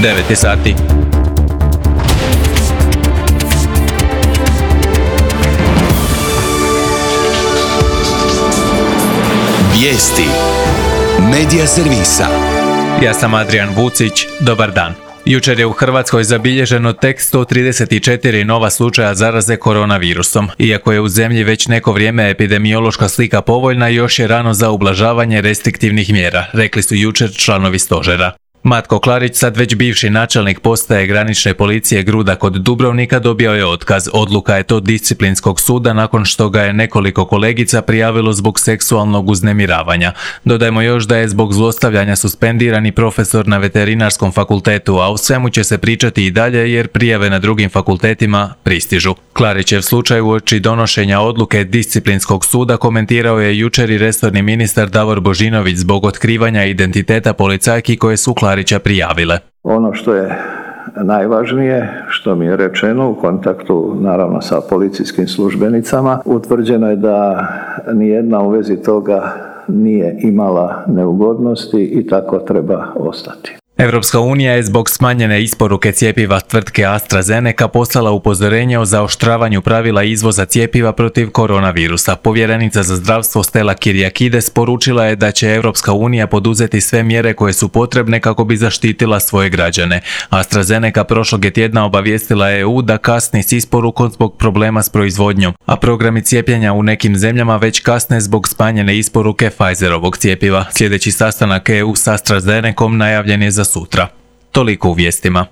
9 je sati. Vijesti Medija servisa. Ja sam Adrian Vucić, dobar dan. Jučer je u Hrvatskoj zabilježeno tek 134 nova slučaja zaraze koronavirusom. Iako je u zemlji već neko vrijeme epidemiološka slika povoljna, još je rano za ublažavanje restriktivnih mjera, rekli su jučer članovi stožera. Matko Klarić, sad već bivši načelnik postaje granične policije Gruda kod Dubrovnika, dobio je otkaz. Odluka je to disciplinskog suda nakon što ga je nekoliko kolegica prijavilo zbog seksualnog uznemiravanja. Dodajmo još da je zbog zlostavljanja suspendirani profesor na veterinarskom fakultetu, a o svemu će se pričati i dalje jer prijave na drugim fakultetima pristižu. Klarićev slučaj uoči donošenja odluke disciplinskog suda komentirao je jučer i resorni ministar Davor Božinović zbog otkrivanja identiteta policajki koje su Klarića prijavile. Ono što je najvažnije, što mi je rečeno u kontaktu naravno sa policijskim službenicama, utvrđeno je da nijedna u vezi toga nije imala neugodnosti i tako treba ostati. Europska unija je zbog smanjene isporuke cjepiva tvrtke AstraZeneca poslala upozorenje o zaoštravanju pravila izvoza cjepiva protiv koronavirusa. Povjerenica za zdravstvo Stella Kyriakides poručila je da će Europska unija poduzeti sve mjere koje su potrebne kako bi zaštitila svoje građane. AstraZeneca prošlog je tjedna obavijestila EU da kasni s isporukom zbog problema s proizvodnjom, a programi cijepljenja u nekim zemljama već kasne zbog smanjene isporuke Pfizerovog cjepiva. Sljedeći sastanak EU s AstraZenecom najavljen je za sutra. Toliko u vijestima.